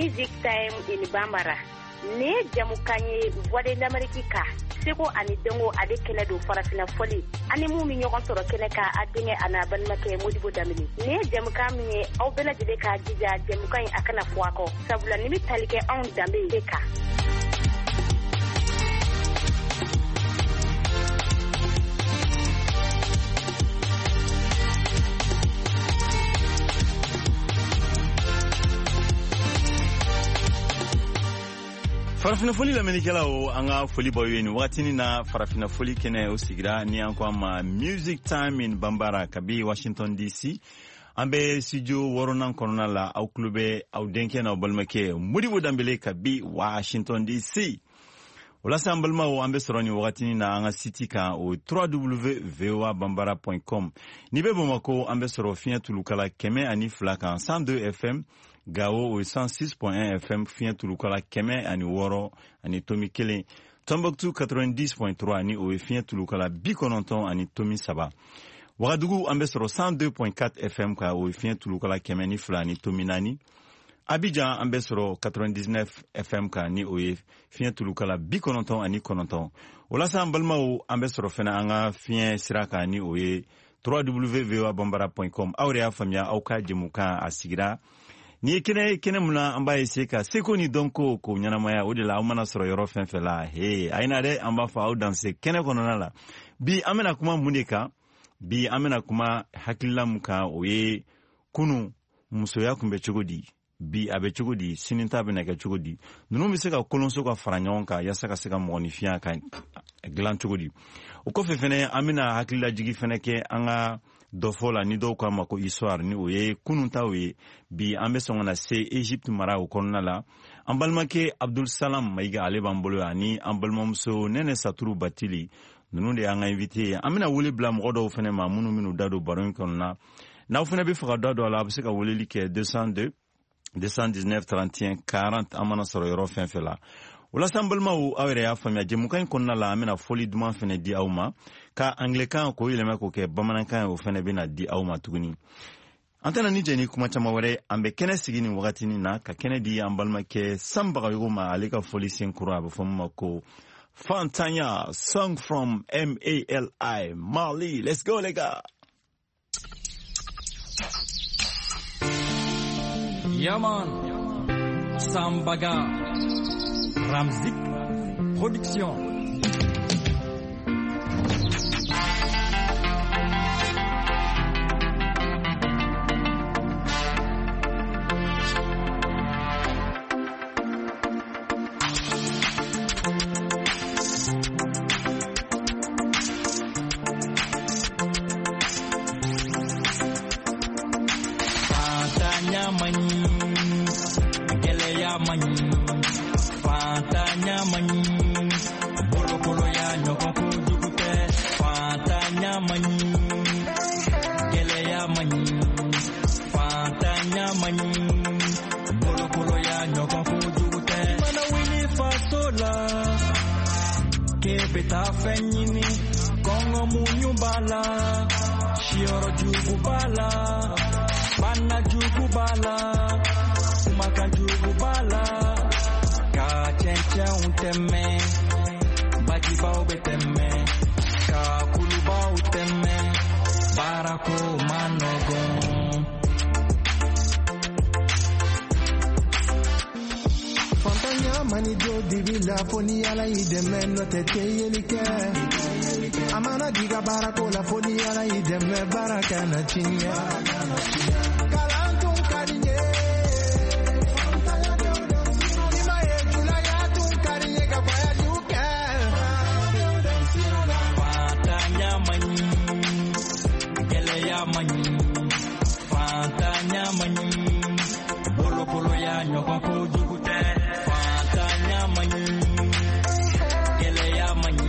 Music Time in Bambara. Nin ye jamukan ye Voix de l'Amérique kan, seko ani dɔnko ale kɛnɛ don, farafina fɔli ani mun bɛ ɲɔgɔn sɔrɔ kɛnɛ kan, a denkɛ a n'a balimakɛ Modibo Danbele. Nin ye jamukan min ye, aw bɛɛ lajɛlen k'a jija jamukan in a kana fɔ a kɔ, sabula nin bɛ tali kɛ anw danbe de kan. Farafinna foli lamɛnnikɛlaw, an ka foli b'aw ye nin wagatinin na. Farafinna foli kɛnɛ o sigira ni an ko a ma Music Time in Bambara, kabi Washington DC, an bɛ studio wɔɔrɔnan kɔnɔna la. Aw tulo bɛ aw denkɛ n'aw balimakɛ Modibo Danbele kabi Washington DC. O la sa, an balimaw, an bɛ sɔrɔ nin wagatinin na an ka site kan, o www.voabambara.com. N'i bɛ Bamako, an bɛ sɔrɔ fiɲɛ tulukala 102 kan, 102 FM. Gawo, o ye 106.1 FM, fiɲɛ tulukala 106.1. Tombouctou, 90.3, ni o ye fiɲɛ tulukala 90.3. Wagadugu, an bɛ sɔrɔ 102.4 FM kan, o ye fiɲɛ tulukala 102.4. Abidjan, an bɛ sɔrɔ 99 FM kan, ni o ye fiɲɛ tulukala 99. O la sa, an balimaw, an bɛ sɔrɔ fɛnɛ an ka fiɲɛ sira kan, ni o ye www.voabambara.com. Aw yɛrɛ y'a faamuya, aw ka jɛmukan a sigira ni ye kɛnɛ ye, kɛnɛ mun na an b'a essayer ka seko ni dɔnko k'o ɲɛnamaya. O de la, aw mana sɔrɔ yɔrɔ fɛn fɛn la, he, a ye na dɛ, an b'a fɔ aw danse kɛnɛ kɔnɔna la. Bi, an bɛna kuma mun de kan? Bi, an bɛna kuma hakilila mun kan, o ye kunu musoya kun bɛ cogo di, bi a bɛ cogo di, sini ta bɛna kɛ cogo di, ninnu bɛ se ka kolonso ka fara ɲɔgɔn kan yaasa ka se ka mɔgɔninfinya ka dilan cogo di. O kɔfɛ fɛnɛ, an bɛna hakililajigi fɛnɛ kɛ an ka dɔfɔ la, ni dɔw k'a ma ko histoire, ni o ye kunun taw ye. Bi, an bɛ sɔn ka na se Egypte mara o kɔnɔna la. An balimakɛ Abdul Salam Mayiga, ale b'an bolo yan, ani an balimamuso Nɛnɛ Saturu Batili. Ninnu de y'an ka invité ye. An bɛna wele bila mɔgɔ dɔw fɛnɛ ma, minnu bɛn'u da don baro in kɔnɔna. N'aw fɛnɛ bɛ fɛ ka da don a la, a bɛ se ka weleli kɛ 202 219 31 40, an mana sɔrɔ yɔrɔ fɛn fɛn la. O la sa, an balimaw, aw yɛrɛ y'a faamuya, jɛmukan in kɔnɔna la, an bɛna fɔli duman fɛnɛ di aw ma, ka anglɛkan k'o yɛlɛma k'o kɛ bamanankan ye, o fɛnɛ bɛna di aw ma tuguni. An tɛna ni jɛ ni kuma caman wɛrɛ, an bɛ kɛnɛ sigi nin wagatinin na ka kɛnɛ di an balimakɛ Sanbagayogo ma, ale ka fɔli sen kura, a bɛ fɔ min ma ko Fantanya, song from MALI, Mali. Let's go, les gars. Yeah man, Sambaga, Ramzik, Production. Fantanya man ɲi, gɛlɛya man ɲi, fantanya man ɲi, bolokoloya ɲɔgɔn kojugu tɛ. Fantanya man ɲi, gɛlɛya man ɲi, fantanya man ɲi, bolokoloya ɲɔgɔn kojugu tɛ. I mana wuli faso la k'e bɛ taa fɛn ɲini, kɔngɔ muɲu b'a la, siyɔrɔ jugu b'a la, bana jugu b'a la, kumakan jugu b'a la, ka cɛncɛnw tɛmɛ, bajibaw bɛ tɛmɛ, ka kulubaw tɛmɛ, baarako man nɔgɔn. Fantanya mani do dibi la, fo ni Ala y'i dɛmɛ, n'o tɛ tɛ yeli kɛ. A mana d'i ka baarako la, fo ni Ala y'i dɛmɛ, baara kana tiɲɛ. Kalan tun ka di n ye, i ma ye, julaya tun ka di n ye ka voyage kɛ. Fantanya man ɲi, gɛlɛya man ɲi, fantanya man ɲi, bolokoloya ɲɔgɔn kojugu tɛ. Fantanya man ɲi, gɛlɛya man ɲi,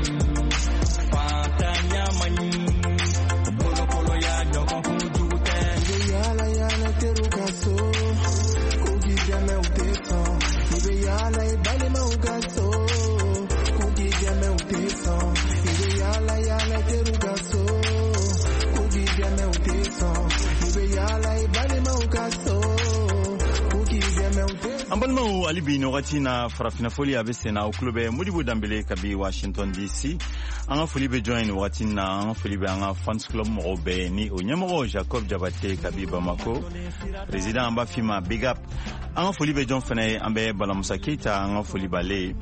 fantanya man ɲi, bolokoloya ɲɔgɔn kojugu tɛ. I bɛ yaala yaala teriw ka so, k'u k'i dɛmɛ, u tɛ sɔn. I bɛ yaala i balimaw ka so, k'u k'i dɛmɛ, u tɛ sɔn. I bɛ yaala yaala teriw ka so, k'u k'i dɛmɛ, u tɛ sɔn. I bɛ yaala i balimaw ka so. Balimaw, hali bi nin wagati na, farafinna foli a bɛ sen na. Aw tulo bɛ Modibo Danbele kabi Washington DC. An ka foli bɛ jɔn ye nin wagati na? An ka foli bɛ an ka fans club mɔgɔw bɛɛ ye, ni o ɲɛmɔgɔ Jacob Jabate kabi Bamako, président, an b'a f'i ma big up. An ka foli bɛ jɔn fɛnɛ ye? An bɛ Balamusa Keyita, an ka foli b'ale ye.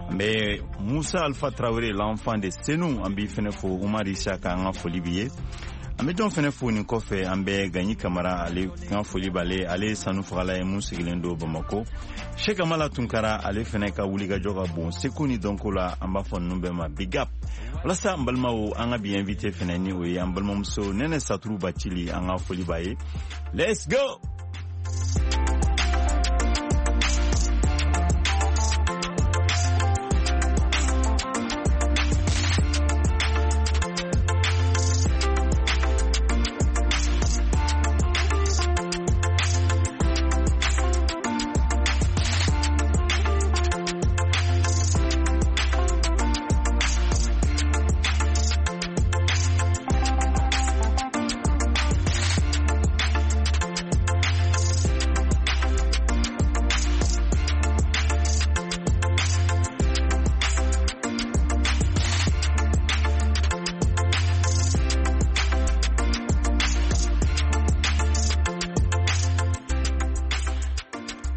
An bɛ Musa Alpha Traoré, l'enfant de Senu, an b'i fɛnɛ fo. Umar Isaka, an ka foli b'i ye. An bɛ jɔn fɛnɛ fo nin kɔfɛ? An bɛ Gaɲi Kamara, ale ka foli b'ale. Ale ye sanu fagala ye mun sigilen don Bamako. Sheikh Amala Tunkara, ale fɛnɛ ka wulikajɔ ka bon seko ni dɔnko la. An b'a fɔ ninnu bɛɛ ma big up. Walasa n balimaw, an ka bi invité fɛnɛ, ni o ye an balimamuso Nɛnɛ Saturu Bacili, an ka foli b'a ye. Let's go.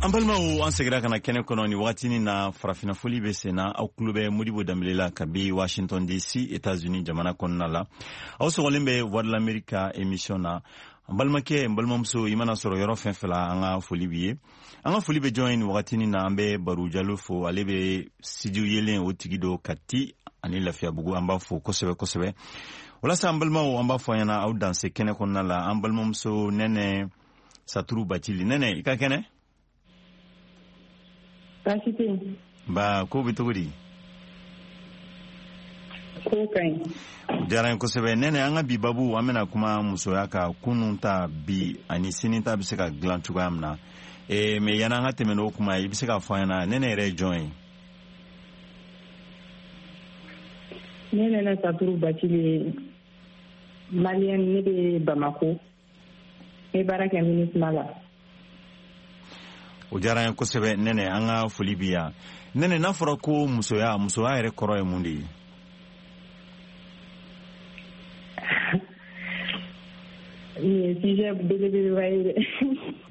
An balimaw, an segira ka na kɛnɛ kɔnɔ ni wagatinin na. Farafinna foli bɛ sen na. Aw tulo bɛ Modibo Danbele la kabi Washington DC, États-Unis jamana kɔnɔna la. Aw sɔgɔlen bɛ Voix de l'Amérique ka émission na. An balimakɛ, n balimamuso, i mana sɔrɔ yɔrɔ fɛn fɛn la, an ka foli b'i ye. An ka foli bɛ jɔn ye nin wagatinin na? An bɛ Baro Jalo fo, ale bɛ studio yelen o tigi don Kati ani Lafiyabugu. An b'a fo kosɛbɛ kosɛbɛ. Walasa an balimaw, an b'a fɔ an ɲɛna, aw danse kɛnɛ kɔnɔna la. An balimamuso Nɛnɛ Saturu Bacili, Nɛnɛ, i ka kɛnɛ? Baasi tɛ yen. Ba, ko bɛ cogo di? Ko ka ɲi. O diyara n ye kosɛbɛ. Nɛnɛ, an ka bi babu, an bɛna kuma musoya kan, kunun ta, bi ani sini ta bɛ se ka dilan cogoya min na. Mais yanni an ka tɛmɛ n'o kuma ye, i bɛ se k'a fɔ an ɲɛna, Nɛnɛ yɛrɛ ye jɔn ye? Ne Nɛnɛ Saturu Bacili ye maliyɛn, ne bɛ Bamako, n bɛ baara kɛ MINUSMA la. O diyara an ye kosɛbɛ, Nɛnɛ, an ka foli bi yan. Nɛnɛ, n'a fɔra ko musoya, musoya yɛrɛ kɔrɔ ye mun de ye? Nin ye sujet belebeleba ye dɛ.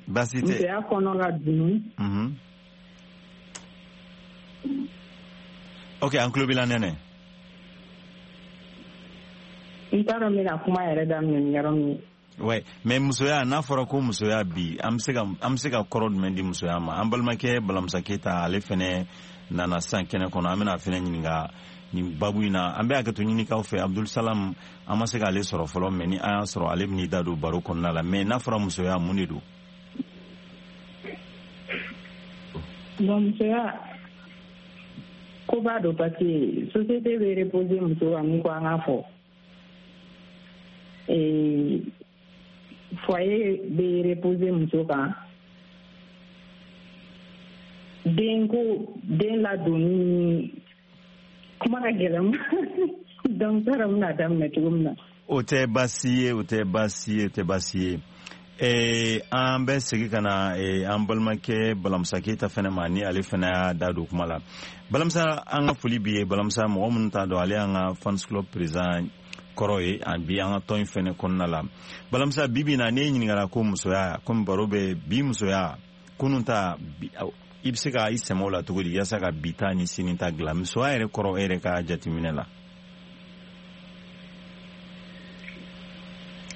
Baasi tɛ. Musoya kɔnɔ ka dun. Ok, an tulo b'i la, Nɛnɛ. N t'a dɔn n bɛna kuma yɛrɛ daminɛ ni yɔrɔ min ye. Ouais, mais musoya, n'a fɔra ko musoya bi, an bɛ se ka kɔrɔ jumɛn di musoya ma? An balimakɛ Balamusa Keyita, ale fɛnɛ nana sisan kɛnɛ kɔnɔ, an bɛna a fɛnɛ ɲininka nin babu in na. An bɛ hakɛto ɲini k'aw fɛ, Abdul Salam, an ma se k'ale sɔrɔ fɔlɔ, mais ni an y'a sɔrɔ, ale bɛn'i da don baro kɔnɔna la. Mais n'a fɔra musoya, mun de don? Bon, musoya koba don, parce que société bɛ reposer muso kan. Mun ko an k'a fɔ, foyer bɛ reposer muso kan, den ko, den ladonni, kuma ka gɛlɛn, donc n t'a dɔn n bɛna daminɛ cogo min na. O tɛ baasi ye, o tɛ baasi ye, o tɛ baasi ye. An bɛ segin ka na an balimakɛ Balamusa Keyita fɛnɛ ma, ni ale fɛnɛ y'a da don kuma la. Balamusa, an ka foli b'i ye. Balamusa, mɔgɔ minnu t'a dɔn, ale y'an ka fans club président kɔrɔ ye an bi an ka tɔn in fɛnɛ kɔnɔna la. Balamusa, bi bi in na, n'e ɲininkara ko musoya, komi baro bɛ bi musoya, kunun ta, i bɛ se ka i sɛmɛ o la cogo di yaasa ka bi ta ni sini ta dilan? Musoya yɛrɛ kɔrɔ, e yɛrɛ ka jateminɛ la,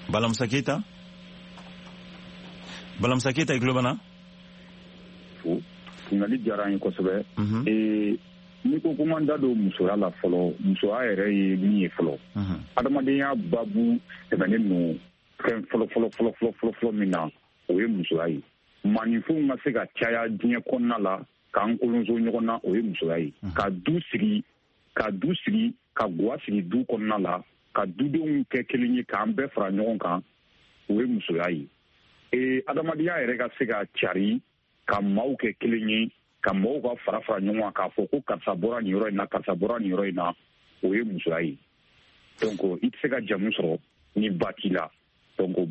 Balamusa Keyita? Balamusa Keyita, i tulo b'an na? Fo, ɲininkali diyara an ye kosɛbɛ. N'i ko ko n da don musoya la fɔlɔ, musoya yɛrɛ ye min ye fɔlɔ, adamadenya babu tɛmɛnen don fɛn fɔlɔ fɔlɔ fɔlɔ fɔlɔ fɔlɔ fɔlɔ min na, o ye musoya ye. Maaninfinw ka se ka caya diɲɛ kɔnɔna la, k'an kolonso ɲɔgɔn na, o ye musoya ye. Ka du sigi, ka guwa sigi du kɔnɔna la, ka dudenw kɛ kelen ye, k'an bɛɛ fara ɲɔgɔn kan, o ye musoya ye. Adamadenya yɛrɛ ka se ka cari, ka maaw kɛ kelen ye, ka maaw ka fara fara ɲɔgɔn kan, k'a fɔ ko karisa bɔra nin yɔrɔ in na, karisa bɔra nin yɔrɔ in na, o ye musoya ye. Donc i tɛ se ka jamu sɔrɔ ni ba t'i la. Donc